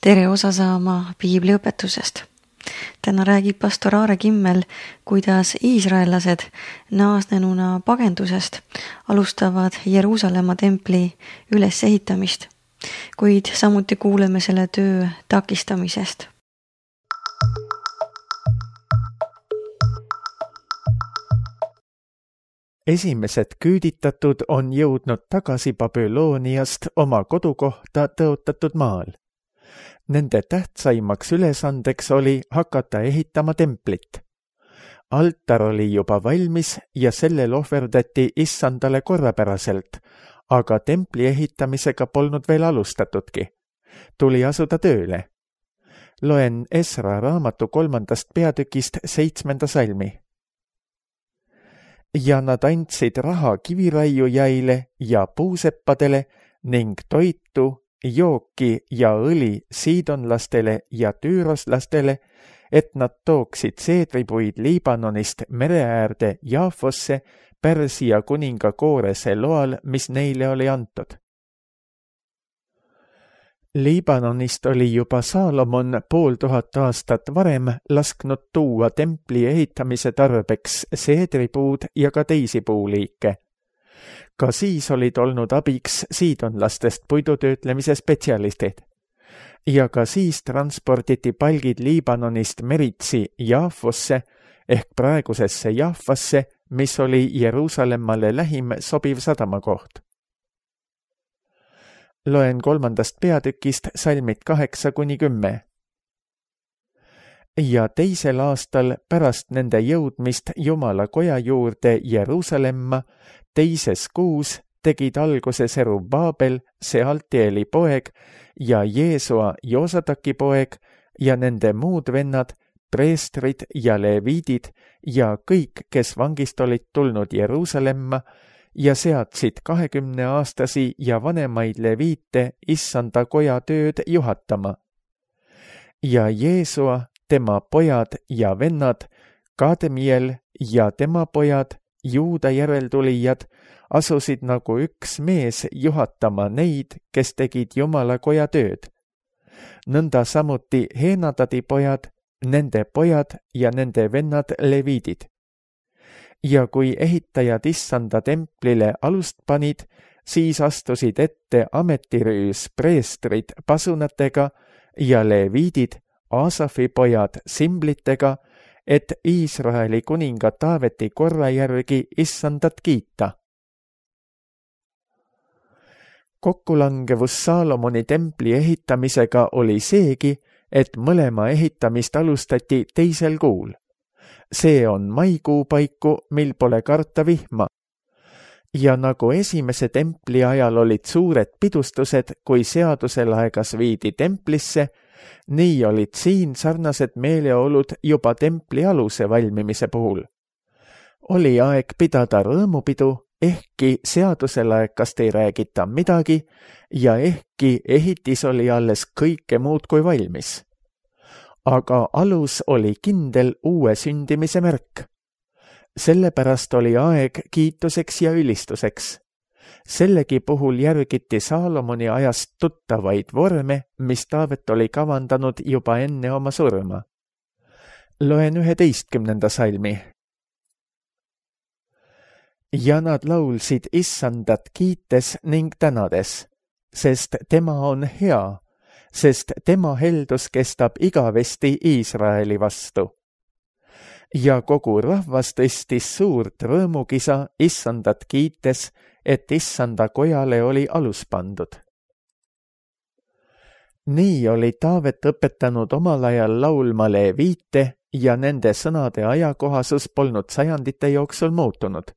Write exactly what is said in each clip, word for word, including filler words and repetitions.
tere osa saama piibliõpetusest. Täna räägib pastor Aare Kimmel, kuidas iisraellased naasnenuna pagendusest alustavad Jeruusalemma templi ülesehitamist, kuid samuti kuuleme selle töö takistamisest. Esimesed küüditatud on jõudnud tagasi Babyloniast oma kodukohta tõotatud maal. Nende tähtsaimaks ülesandeks oli hakata ehitama templit. Altar oli juba valmis ja sellel ohverdati issandale korrapäraselt, aga templi ehitamisega polnud veel alustatudki. Tuli asuda tööle. Loen Esra raamatu kolmandast peatükist seitsmenda salmi. Ja nad andsid raha kiviraiujäile ja puuseppadele ning toitu, jooki ja õli siidonlastele ja tüüroslastele, et nad tooksid seedripuid Liibanonist mereäärde Jaafosse Pärsia kuninga Koorese loal, mis neile oli antud. Liibanonist oli juba Saalomon pool tuhat aastat varem lasknud tuua templi ehitamise tarbeks seedripuud ja ka teisi puuliike. Ka siis olid olnud abiks siidonlastest puidutöötlemise spetsialistid. Ja ka siis transporditi palgid Liibanonist meritsi Jaafosse ehk praegusesse Jaafasse, mis oli Jeruusalemmale lähim sobiv sadamakoht. Loen kolmandast peatükist salmid kaheksa kuni kümme. Ja teisel aastal pärast nende jõudmist Jumala koja juurde Jeruusalemma, teises kuus tegid alguse Serubbabel, Sealtieli poeg ja Jeesua Joosataki poeg ja nende muud vennad, preestrid ja leviidid ja kõik, kes vangist olid tulnud Jeruusalemma, ja seadsid kahekümneaastasi ja vanemaid leviite issanda koja tööd juhatama. Ja Jeesua, tema pojad ja vennad, Kademiel ja tema pojad, Juuda järeltulijad, asusid nagu üks mees juhatama neid, kes tegid Jumala koja tööd. Nõnda samuti Heenadadi pojad, nende pojad ja nende vennad leviidid. Ja kui ehitajad issanda templile alust panid, siis astusid ette ametirüüs preestrid pasunatega ja leviidid, Aasafi pojad simblitega, et Iisraeli kuninga Taaveti korra järgi issandat kiita. Kokkulangevus Saalomoni templi ehitamisega oli seegi, et mõlema ehitamist alustati teisel kuul. See on maikuu paiku, mil pole karta vihma. Ja nagu esimese templi ajal olid suured pidustused, kui seadusel aegas viidi templisse, nii olid siin sarnased meeleolud juba templi aluse valmimise puhul. Oli aeg pidada rõõmupidu, ehkki seadusel aegast ei räägita midagi ja ehkki ehitis oli alles kõike muud kui valmis. Aga alus oli kindel uue sündimise märk. Sellepärast oli aeg kiituseks ja ülistuseks. Sellegi puhul järgiti Saalomoni ajast tuttavaid vorme, mis Taavet oli kavandanud juba enne oma surma. Loen üheteistkümnenda salmi. Ja nad laulsid issandat kiites ning tänades, sest tema on hea, sest tema heldus kestab igavesti Iisraeli vastu. Ja kogu rahvas tõstis suurt rõõmukisa issandat kiites, et issanda kojale oli alus pandud. Nii oli Taavet õpetanud omal ajal laulma leviite ja nende sõnade ajakohasus polnud sajandite jooksul muutunud.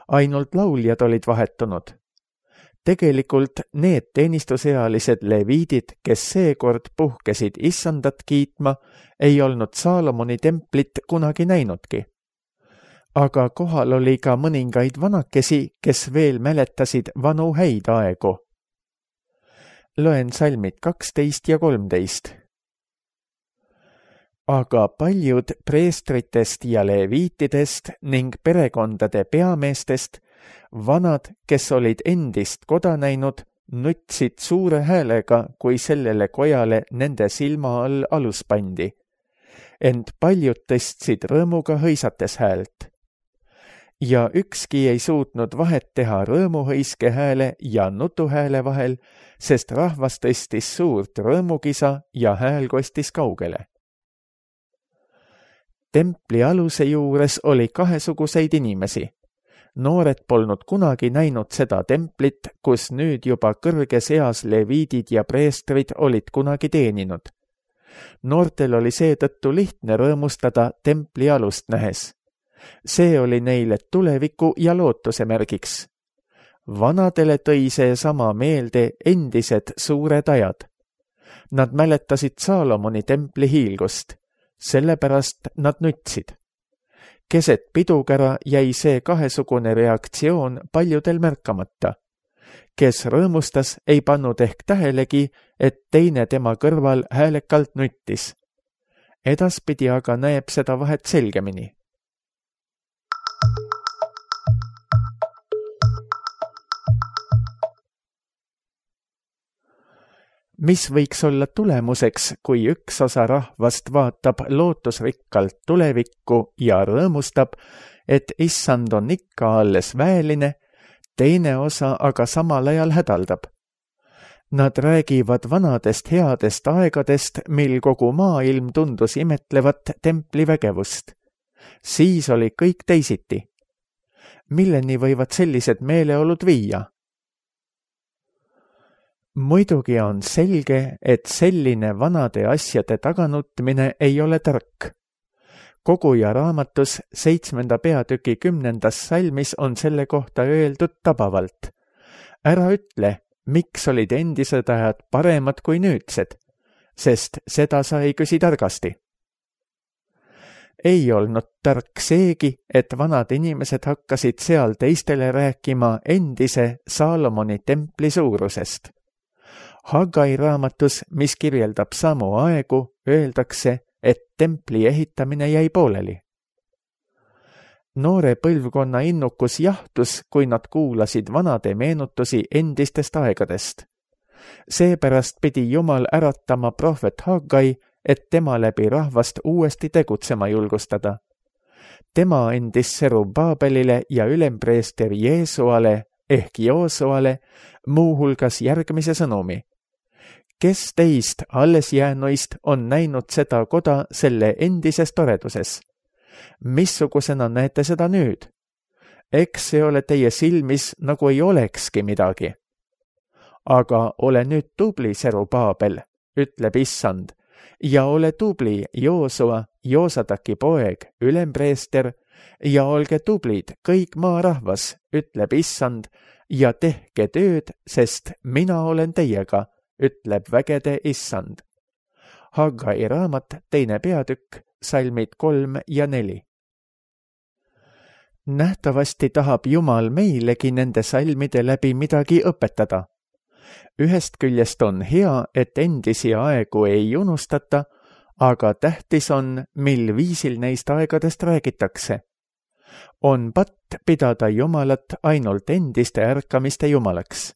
Ainult lauljad olid vahetunud. Tegelikult need teenistusealised leviidid, kes seekord puhkesid issandat kiitma, ei olnud Saalomoni templit kunagi näinudki. Aga kohal oli ka mõningaid vanakesi, kes veel mäletasid vanu häid aegu. Loen salmid kaksteist ja kolmteist. Aga paljud preestritest ja leviitidest ning perekondade peameestest, vanad, kes olid endist koda näinud, nutsid suure häälega, kui sellele kojale nende silma all alus pandi. Ent paljud tõstsid rõõmuga hõisates häält. Ja ükski ei suutnud vahet teha rõõmuhõiske hääle ja nutuhääle vahel, sest rahvas tõstis suurt rõõmukisa ja hääl kostis kaugele. Templi aluse juures oli kahesuguseid inimesi. Noored polnud kunagi näinud seda templit, kus nüüd juba kõrges eas leviidid ja preestrid olid kunagi teeninud. Noortel oli seetõttu lihtne rõõmustada templi alust nähes. See oli neile tuleviku ja lootuse märgiks. Vanadele tõi see sama meelde endised suured ajad. Nad mäletasid Saalomoni templi hiilgust, sellepärast nad nutsid. Keset pidukära jäi see kahesugune reaktsioon paljudel märkamata. Kes rõõmustas, ei pannud ehk tähelegi, et teine tema kõrval häälekalt nuttis. Edaspidi aga näeb seda vahet selgemini. Mis võiks olla tulemuseks, kui üks osa rahvast vaatab lootusrikkalt tulevikku ja rõõmustab, et issand on ikka alles väeline, teine osa aga samal ajal hädaldab. Nad räägivad vanadest headest aegadest, mil kogu maailm tundus imetlevat templi vägevust. Siis oli kõik teisiti. Milleni võivad sellised meeleolud viia? Muidugi on selge, et selline vanade asjade taganutmine ei ole tark. Koguja raamatus seitsmenda peatüki kümnendas salmis on selle kohta öeldud tabavalt. Ära ütle, miks olid endised ajad paremad kui nüüdsed, sest seda sa ei küsi targasti. Ei olnud tark seegi, et vanad inimesed hakkasid seal teistele rääkima endise Saalomoni templi suurusest. Haggai raamatus, mis kirjeldab samu aegu, öeldakse, et templi ehitamine jäi pooleli. Noore põlvkonna innukus jahtus, kui nad kuulasid vanade meenutusi endistest aegadest. Seepärast pidi Jumal äratama prohvet Haggai, et tema läbi rahvast uuesti tegutsema julgustada. Tema andis Serubbabelile ja ülempreester Jeesuale ehk Joosuale muuhulgas järgmise sõnumi. Kes teist alles jäänuist on näinud seda koda selle endises toreduses? Missugusena näete seda nüüd? Eks see ole teie silmis, nagu ei olekski midagi. Aga ole nüüd tubli, Serubbabel, ütleb issand, ja ole tubli, Joosua, Joosadaki poeg, ülempreester, ja olge tublid, kõik maarahvas, ütleb issand, ja tehke tööd, sest mina olen teiega, ütleb vägede issand. Haggai raamat, teine peatükk, salmid kolm ja neli. Nähtavasti tahab Jumal meilegi nende salmide läbi midagi õpetada. Ühest küljest on hea, et endisi aegu ei unustata, aga tähtis on, mil viisil neist aegadest räägitakse. On patt pidada Jumalat ainult endiste ärkamiste Jumalaks.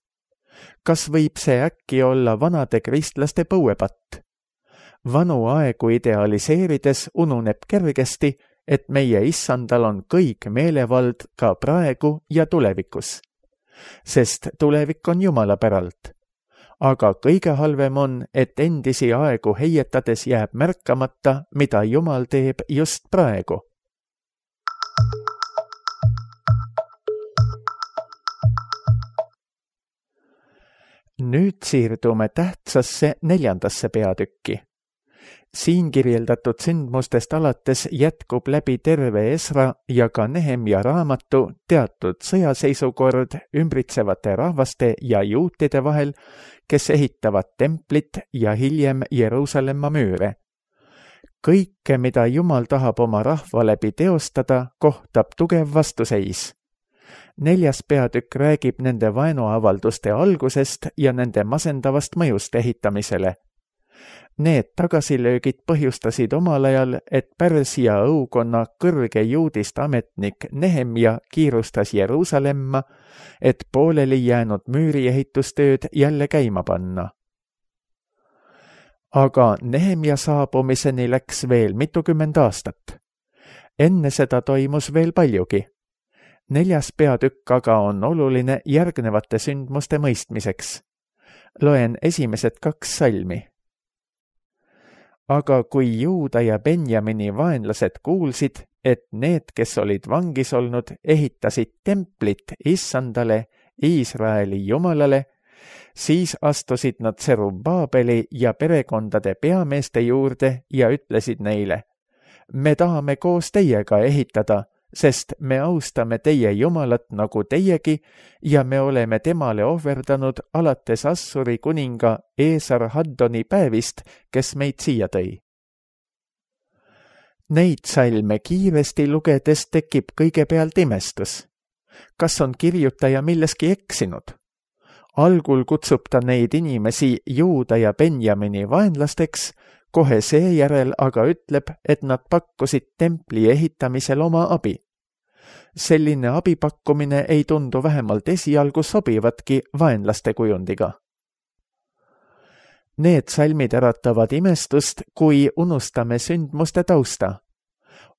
Kas võib see äkki olla vanade kristlaste põuepatt? Vanu aegu idealiseerides ununeb kergesti, et meie issandal on kõik meelevald ka praegu ja tulevikus. Sest tulevik on Jumala päralt. Aga kõige halvem on, et endisi aegu heietades jääb märkamata, mida Jumal teeb just praegu. Nüüd siirdume tähtsasse neljandasse peatükki. Siin kirjeldatud sündmustest alates jätkub läbi terve Esra ja ka Nehemja raamatu teatud sõjaseisukord ümbritsevate rahvaste ja juutide vahel, kes ehitavad templit ja hiljem Jeruusalemma müüre. Kõike, mida Jumal tahab oma rahva läbi teostada, kohtab tugev vastuseis. Neljas peatükk räägib nende vaenuavalduste algusest ja nende masendavast mõjust ehitamisele. Need tagasilöögid põhjustasid omal ajal, et Pärsia õukonna kõrge juudist ametnik Nehemja kiirustas Jeruusalemma, et pooleli jäänud müüriehitustööd jälle käima panna. Aga Nehemja saabumiseni läks veel mitukümmend aastat. Enne seda toimus veel paljugi. Neljas peatükk aga on oluline järgnevate sündmuste mõistmiseks. Loen esimesed kaks salmi. Aga kui Juuda ja Benjamini vaenlased kuulsid, et need, kes olid vangis olnud, ehitasid templit Issandale, Iisraeli Jumalale, siis astusid nad Serubbabeli ja perekondade peameeste juurde ja ütlesid neile: me tahame koos teiega ehitada, sest me austame teie Jumalat nagu teiegi ja me oleme temale ohverdanud alates Assuri kuninga Esarhaddoni päevist, kes meid siia tõi. Neid salme kiiresti lugedes tekib kõigepealt imestus. Kas on kirjutaja milleski eksinud? Algul kutsub ta neid inimesi Juuda ja Benjamini vaenlasteks, kohe seejärel aga ütleb, et nad pakkusid templi ehitamisel oma abi. Selline abipakkumine ei tundu vähemalt esialgu sobivatki vaenlaste kujundiga. Need salmid äratavad imestust, kui unustame sündmuste tausta.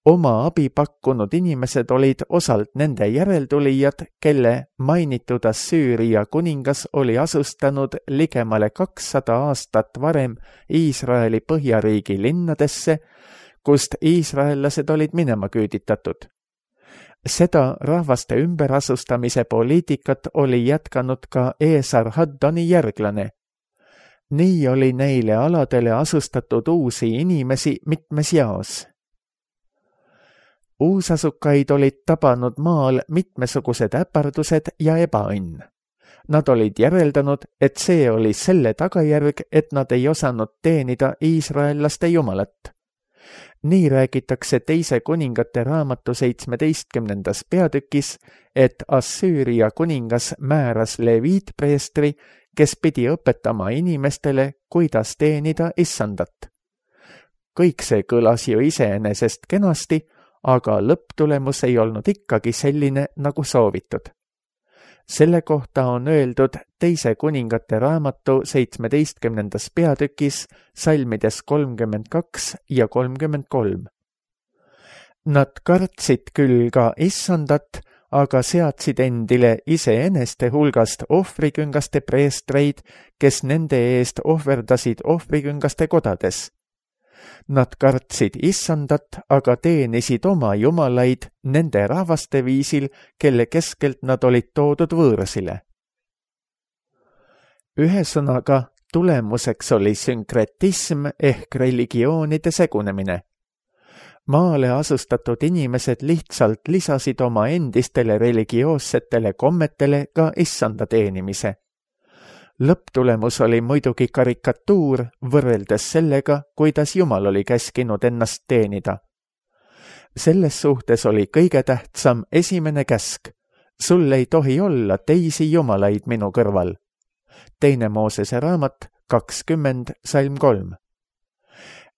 Oma abi pakkunud inimesed olid osalt nende järeltulijad, kelle mainitud Assüüria kuningas oli asustanud ligemale kakssada aastat varem Iisraeli põhjariigi linnadesse, kust iisraellased olid minema küüditatud. Seda rahvaste ümberasustamise poliitikat oli jätkanud ka Esarhaddoni järglane. Nii oli neile aladele asustatud uusi inimesi mitmes jaos. Uusasukaid olid tabanud maal mitmesugused äpardused ja ebaõnn. Nad olid järeldanud, et see oli selle tagajärg, et nad ei osanud teenida iisraellaste jumalat. Nii räägitakse teise kuningate raamatu seitsmeteistkümnendas peatükis, et Assüüria kuningas määras leviitpreestri, kes pidi õpetama inimestele, kuidas teenida Issandat. Kõik see kõlas ju iseenesest kenasti, aga lõpptulemus ei olnud ikkagi selline, nagu soovitud. Selle kohta on öeldud teise kuningate raamatu seitsmeteistkümnendas peatükis salmides kolmkümmend kaks ja kolmkümmend kolm. Nad kartsid küll ka Issandat, aga seadsid endile iseeneste hulgast ohvriküngaste preestreid, kes nende eest ohverdasid ohvriküngaste kodades. Nad kartsid Issandat, aga teenisid oma jumalaid nende rahvaste viisil, kelle keskelt nad olid toodud võõrasile. Ühesõnaga, tulemuseks oli sünkretism ehk religioonide segunemine. Maale asustatud inimesed lihtsalt lisasid oma endistele religioossetele kommetele ka Issanda teenimise. Lõpptulemus oli muidugi karikatuur võrreldes sellega, kuidas Jumal oli käskinud ennast teenida. Selles suhtes oli kõige tähtsam esimene käsk. Sul ei tohi olla teisi jumalaid minu kõrval. Teine Moosese raamat kakskümmend salm kolm.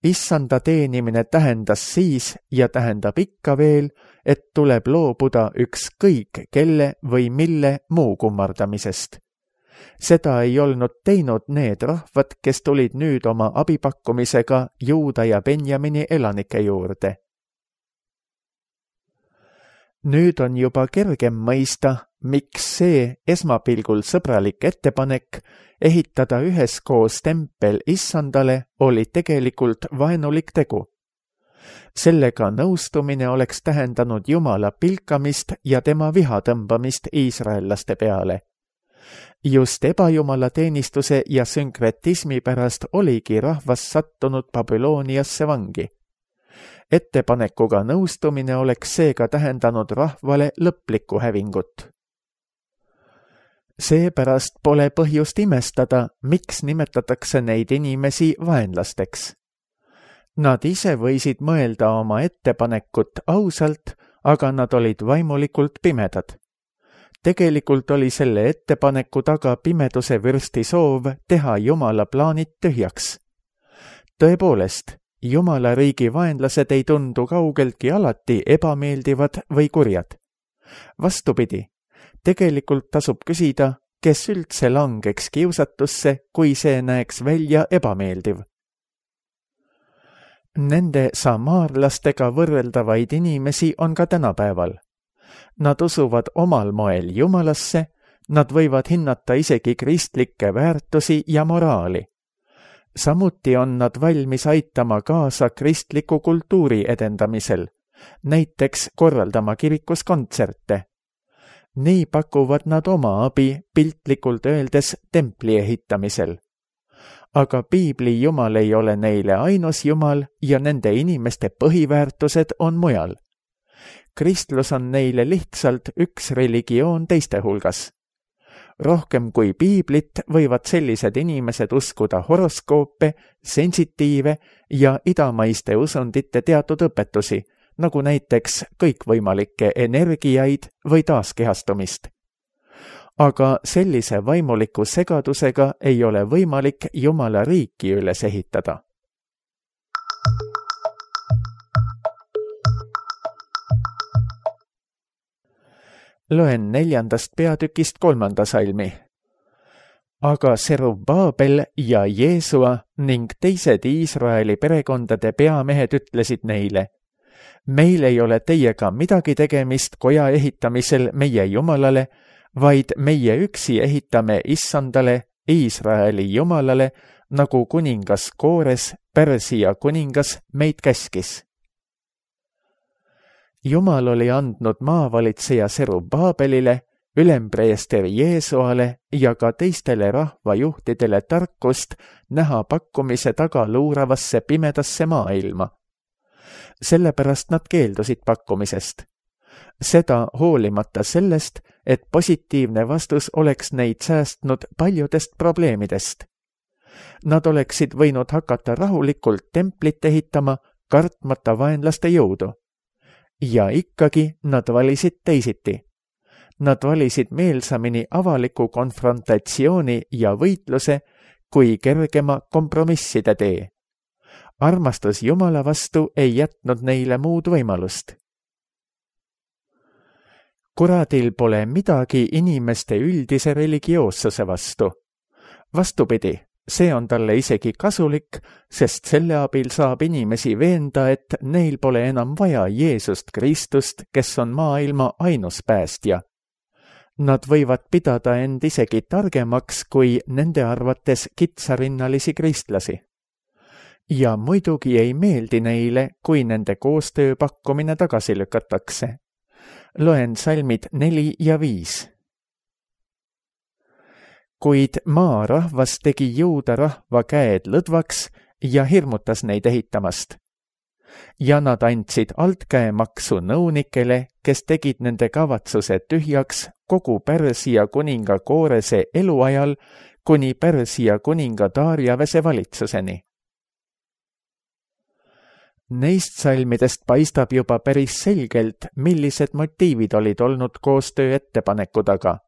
Issanda teenimine tähendas siis ja tähendab ikka veel, et tuleb loobuda ükskõik kelle või mille muu kummardamisest. Seda ei olnud teinud need rahvad, kes tulid nüüd oma abipakkumisega Juuda ja Benjamini elanike juurde. Nüüd on juba kergem mõista, miks see esmapilgul sõbralik ettepanek ehitada üheskoos tempel Issandale oli tegelikult vaenulik tegu. Sellega nõustumine oleks tähendanud Jumala pilkamist ja tema viha tõmbamist iisraellaste peale. Just ebajumala teenistuse ja sünkretismi pärast oligi rahvas sattunud Babyloniasse vangi. Ettepanekuga nõustumine oleks seega tähendanud rahvale lõplikku hävingut. Seepärast pole põhjust imestada, miks nimetatakse neid inimesi vaenlasteks. Nad ise võisid mõelda oma ettepanekut ausalt, aga nad olid vaimulikult pimedad. Tegelikult oli selle ettepaneku taga pimeduse vürsti soov teha Jumala plaanid tühjaks. tõepoolest, Jumala riigi vaenlased ei tundu kaugeltki alati ebameeldivad või kurjad. Vastupidi, tegelikult tasub küsida, kes üldse langeks kiusatusse, kui see näeks välja ebameeldiv. Nende samaarlastega võrreldavaid inimesi on ka tänapäeval. Nad usuvad omal moel Jumalasse, nad võivad hinnata isegi kristlikke väärtusi ja moraali. Samuti on nad valmis aitama kaasa kristliku kultuuri edendamisel, näiteks korraldama kirikus kontserte. Nii pakuvad nad oma abi piltlikult öeldes templi ehitamisel. Aga piibli Jumal ei ole neile ainus Jumal ja nende inimeste põhiväärtused on mujal. Kristlus on neile lihtsalt üks religioon teiste hulgas. Rohkem kui piiblit võivad sellised inimesed uskuda horoskoope, sensitiive ja idamaiste usundite teatud õpetusi, nagu näiteks kõikvõimalikke energiaid või taaskehastumist. Aga sellise vaimuliku segadusega ei ole võimalik Jumala riiki üles ehitada. Loen neljandast peatükist kolmanda salmi. Aga Serubbabel ja Jeesua ning teised Iisraeli perekondade peamehed ütlesid neile, meil ei ole teiega midagi tegemist koja ehitamisel meie Jumalale, vaid meie üksi ehitame Issandale, Iisraeli Jumalale, nagu kuningas Koores, Pärsia kuningas, meid käskis. Jumal oli andnud maavalitseja Serubbabelile, ülempreester Jeesuale ja ka teistele rahvajuhtidele tarkust näha pakkumise taga luuravasse pimedasse maailma. Sellepärast nad keeldusid pakkumisest. Seda hoolimata sellest, et positiivne vastus oleks neid säästnud paljudest probleemidest. Nad oleksid võinud hakata rahulikult templit ehitama, kartmata vaenlaste jõudu. Ja ikkagi nad valisid teisiti. Nad valisid meelsamini avaliku konfrontatsiooni ja võitluse kui kergema kompromisside tee. Armastus Jumala vastu ei jätnud neile muud võimalust. Kuradil pole midagi inimeste üldise religioossuse vastu. Vastupidi, see on talle isegi kasulik, sest selle abil saab inimesi veenda, et neil pole enam vaja Jeesust Kristust, kes on maailma ainus päästja. Nad võivad pidada end isegi targemaks kui nende arvates kitsarinnalisi kristlasi. Ja muidugi ei meeldi neile, kui nende koostöö pakkumine tagasi lükatakse. Loen salmid neli ja viis. Kuid maarahvas tegi Juuda rahva käed lõdvaks ja hirmutas neid ehitamast. Ja nad andsid altkäemaksu nõunikele, kes tegid nende kavatsuse tühjaks kogu Pärsia kuninga Koorese eluajal kuni Pärsia kuninga Darjavese valitsuseni. Neist salmidest paistab juba päris selgelt, millised motiivid olid olnud koostöö ettepaneku taga.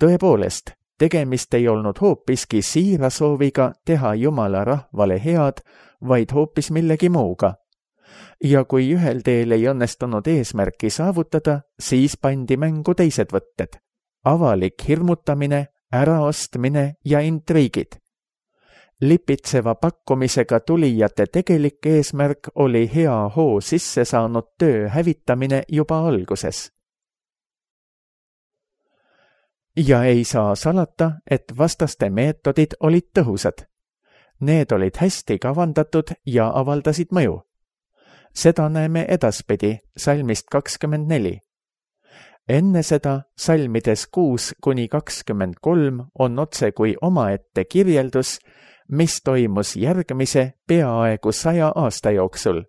Tõepoolest, tegemist ei olnud hoopiski siira sooviga teha Jumala rahvale head, vaid hoopis millegi muuga. Ja kui ühel teel ei õnnestunud eesmärki saavutada, siis pandi mängu teised võtted. Avalik hirmutamine, äraostmine ja intriigid. Lipitseva pakkumisega tulijate tegelik eesmärk oli hea hoo sisse saanud töö hävitamine juba alguses. Ja ei saa salata, et vastaste meetodid olid tõhusad. Need olid hästi kavandatud ja avaldasid mõju. Seda näeme edaspidi salmist kakskümmend neli. Enne seda salmides kuus kuni kakskümmend kolm on otse kui omaette kirjeldus, mis toimus järgmise peaaegu saja aasta jooksul.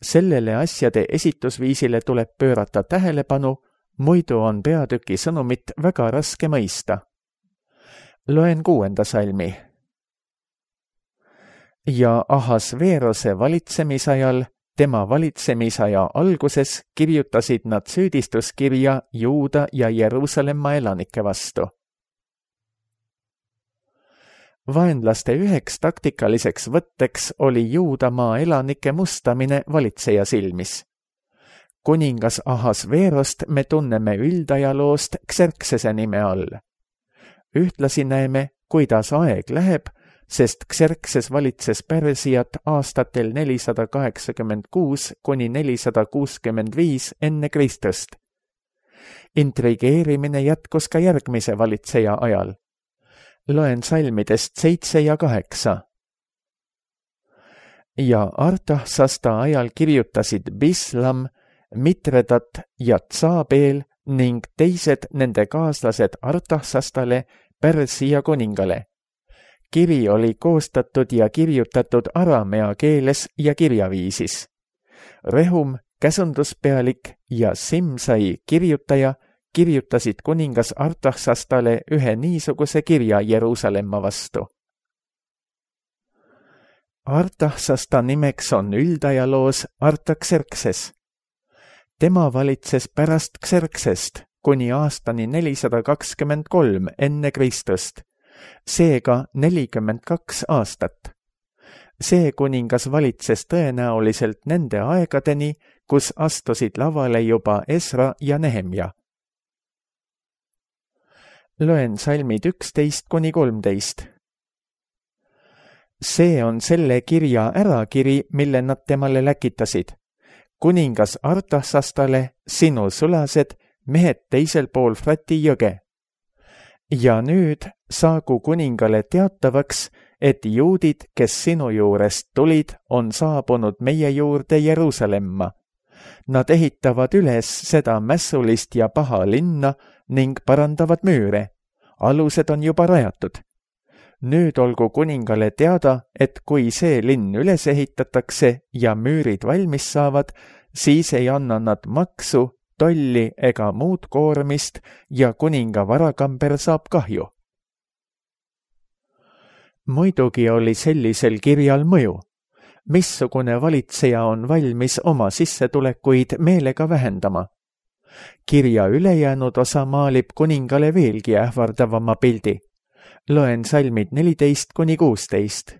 Sellele asjade esitusviisile tuleb pöörata tähelepanu, muidu on peatüki sõnumit väga raske mõista. Loen kuuenda salmi. Ja Ahasveerose valitsemisajal, tema valitsemisaja alguses kirjutasid nad süüdistuskirja Juuda ja Jeruusalemma elanike vastu. Vaenlaste üheks taktikaliseks võtteks oli Juudamaa elanike mustamine valitseja silmis. Kuningas Ahasveerost me tunneme üldajaloost Xerxese nime all. Ühtlasi näeme, kuidas aeg läheb, sest Xerxes valitses Persiat aastatel nelisada kaheksakümmend kuus kuni nelisada kuuskümmend viis enne Kristust. Intrigeerimine jätkus ka järgmise valitseja ajal. Loen salmidest seitse ja kaheksa. Ja Artaxasta ajal kirjutasid Bislam, Mitredat ja Tsabeel ning teised nende kaaslased Artaxastale, Persia kuningale. Kiri oli koostatud ja kirjutatud aramea keeles ja kirjaviisis. Rehum, käsunduspealik ja Simsai kirjutaja kirjutasid kuningas Artaxastale ühe niisuguse kirja Jeruusalemma vastu. Artaxasta nimeks on üldajaloos Artaxerxes. Tema valitses pärast Xerxest kuni aastani nelisada kakskümmend kolm enne Kristust, seega nelikümmend kaks aastat. See kuningas valitses tõenäoliselt nende aegadeni, kus astusid lavale juba Esra ja Nehemja. Loen salmid üksteist kuni kolmteist. See on selle kirja ärakiri, mille nad temale läkitasid. Kuningas Artaxastale, sinu sulased, mehed teisel pool Frati jõge. Ja nüüd saagu kuningale teatavaks, et juudid, kes sinu juurest tulid, on saabunud meie juurde Jeruusalemma. Nad ehitavad üles seda mässulist ja paha linna ning parandavad müüre. Alused on juba rajatud. Nüüd olgu kuningale teada, et kui see linn üles ehitatakse ja müürid valmis saavad, siis ei anna nad maksu, tolli ega muud koormist ja kuninga varakamber saab kahju. Muidugi oli sellisel kirjal mõju. Missugune valitseja on valmis oma sissetulekuid meelega vähendama? Kirja ülejäänud osa maalib kuningale veelgi ähvardavama pildi. Loen salmid neliteist kuni kuusteist.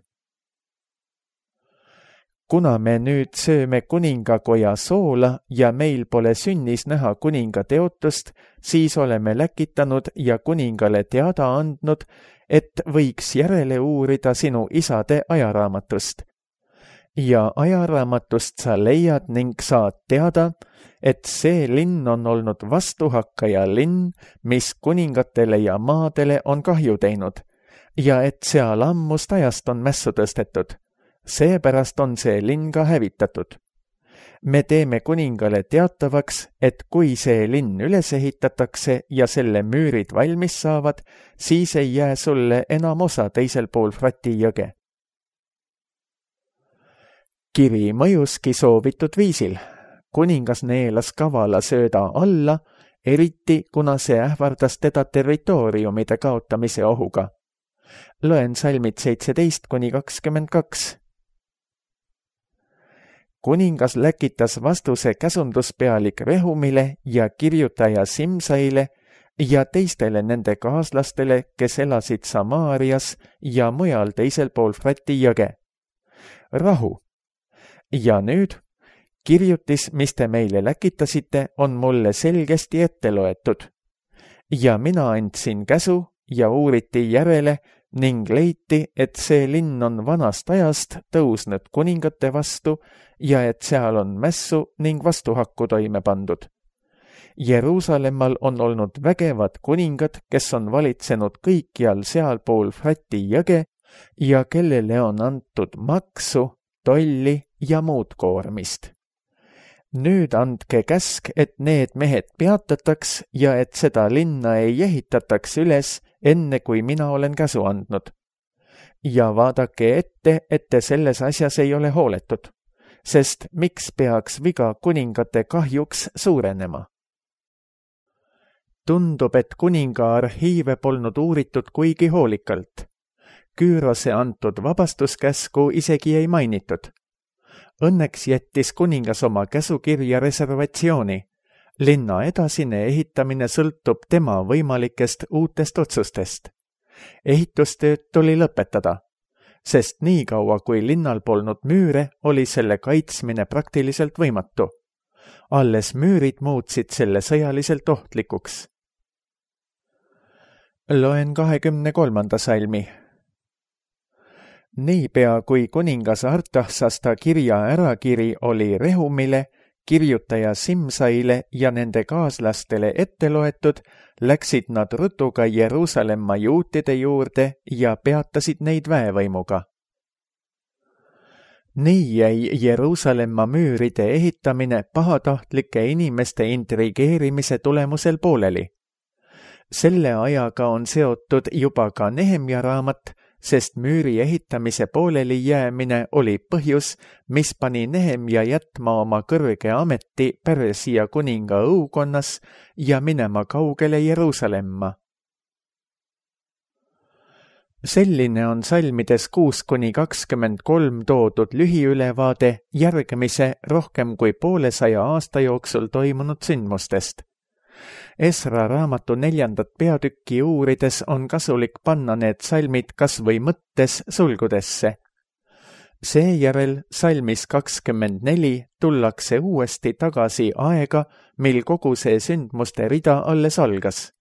Kuna me nüüd sööme kuningakoja soola ja meil pole sünnis näha kuninga teotust, siis oleme läkitanud ja kuningale teada andnud, et võiks järele uurida sinu isade ajaraamatust. Ja ajaraamatust sa leiad ning saad teada, et see linn on olnud vastuhakkaja linn, mis kuningatele ja maadele on kahju teinud, ja et seal ammust ajast on mässu tõstetud. Seepärast on see linn ka hävitatud. Me teeme kuningale teatavaks, et kui see linn üles ehitatakse ja selle müürid valmis saavad, siis ei jää sulle enam osa teisel pool Frati jõge. Kiri mõjuski soovitud viisil. Kuningas neelas kavala sööda alla, eriti kuna see ähvardas teda territooriumide kaotamise ohuga. Loen salmid seitseteist kuni kakskümmend kaks. Kuningas läkitas vastuse käsunduspealik Rehumile ja kirjutaja Simsaile ja teistele nende kaaslastele, kes elasid Samaarias ja mujal teisel pool Frati jõge. Rahu. Ja nüüd, kirjutis, mis te meile läkitasite, on mulle selgesti ette loetud. Ja mina andsin käsu ja uuriti järele ning leiti, et see linn on vanast ajast tõusnud kuningate vastu ja et seal on mässu ning vastuhakku toime pandud. Jeruusalemmal on olnud vägevad kuningad, kes on valitsenud kõikjal sealpool Frati jõge ja kellele on antud maksu, tolli ja muud koormist. Nüüd andke käsk, et need mehed peatataks ja et seda linna ei ehitataks üles, enne kui mina olen käsu andnud. Ja vaadake ette, et te selles asjas ei ole hooletud, sest miks peaks viga kuningate kahjuks suurenema? Tundub, et kuninga arhiive polnud uuritud kuigi hoolikalt. Küürose antud vabastuskäsku isegi ei mainitud. Õnneks jättis kuningas oma käsukirja reservatsiooni. Linna edasine ehitamine sõltub tema võimalikest uutest otsustest. ehitustööd tuli lõpetada, sest nii kaua, kui linnal polnud müüre, oli selle kaitsmine praktiliselt võimatu. Alles müürid muutsid selle sõjaliselt ohtlikuks. Loen kahekümne kolmanda salmi. Niipea kui kuningas Artaxasta kirja ärakiri oli Rehumile, kirjutaja Simsaile ja nende kaaslastele ette loetud, läksid nad rutuga Jeruusalemma juutide juurde ja peatasid neid väevõimuga. Nii jäi Jeruusalemma müüride ehitamine pahatahtlike inimeste intrigeerimise tulemusel pooleli. Selle ajaga on seotud juba ka Nehemja raamat, sest müüri ehitamise pooleli jäämine oli põhjus, mis pani Nehemja jätma oma kõrge ameti Persia kuninga õukonnas ja minema kaugele Jeruusalemma. Selline on salmides kuus kuni kakskümmend kolm toodud lühiülevaade järgmise rohkem kui poolesaja aasta jooksul toimunud sündmustest. Esra raamatu neljandat peatükki uurides on kasulik panna need salmid kas või mõttes sulgudesse. Seejärel salmis kakskümmend neli tullakse uuesti tagasi aega, mil kogu see sündmuste rida alles algas.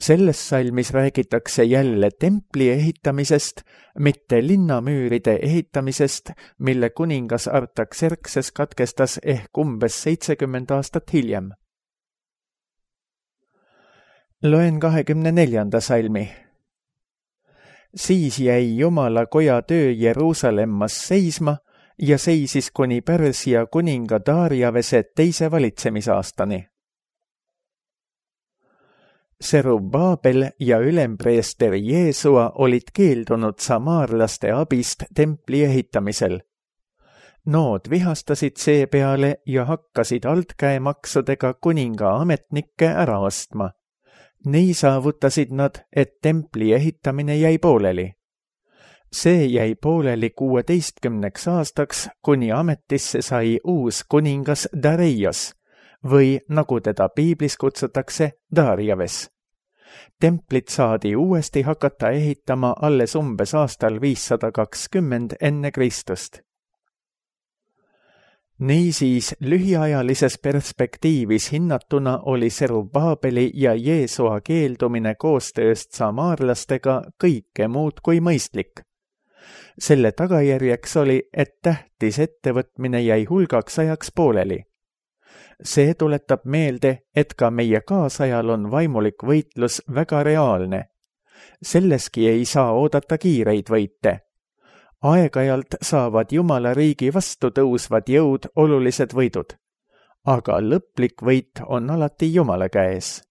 Selles salmis räägitakse jälle templi ehitamisest, mitte linnamüüride ehitamisest, mille kuningas Artaxerxes katkestas ehk umbes seitsekümmend aastat hiljem. Loen kahekümne neljanda salmi. Siis jäi Jumala koja töö Jeruusalemmas seisma ja seisis kuni Persia kuninga Dariavese teise valitsemisaastani. Serubbabel ja ülempreester Jeesua olid keeldunud samaarlaste abist templi ehitamisel. Nood vihastasid seepeale ja hakkasid altkäemaksudega kuninga ametnikke ära ostma. Nii saavutasid nad, et templi ehitamine jäi pooleli. See jäi pooleli kuueteistkümneks aastaks, kuni ametisse sai uus kuningas Dareios või nagu teda piiblis kutsutakse Dariaves. Templit saadi uuesti hakata ehitama alles umbes aastal viissada kakskümmend enne Kristust. Niisiis lühiajalises perspektiivis hinnatuna oli Serubbabeli ja Jeesua keeldumine koostööst samaarlastega kõike muud kui mõistlik. Selle tagajärjeks oli, et tähtis ettevõtmine jäi hulgaks ajaks pooleli. See tuletab meelde, et ka meie kaasajal on vaimulik võitlus väga reaalne. Selleski ei saa oodata kiireid võite. Aeg-ajalt saavad Jumala riigi vastu tõusvad jõud olulised võidud, aga lõplik võit on alati Jumala käes.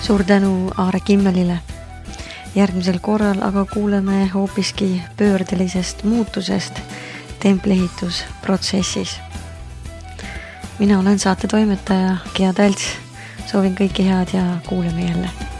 Suur tänu Aare Kimmelile. Järgmisel korral aga kuuleme hoopiski pöördelisest muutusest templiehitusprotsessis. Mina olen saate toimetaja Gea Tälts. Soovin kõike head ja kuuleme jälle.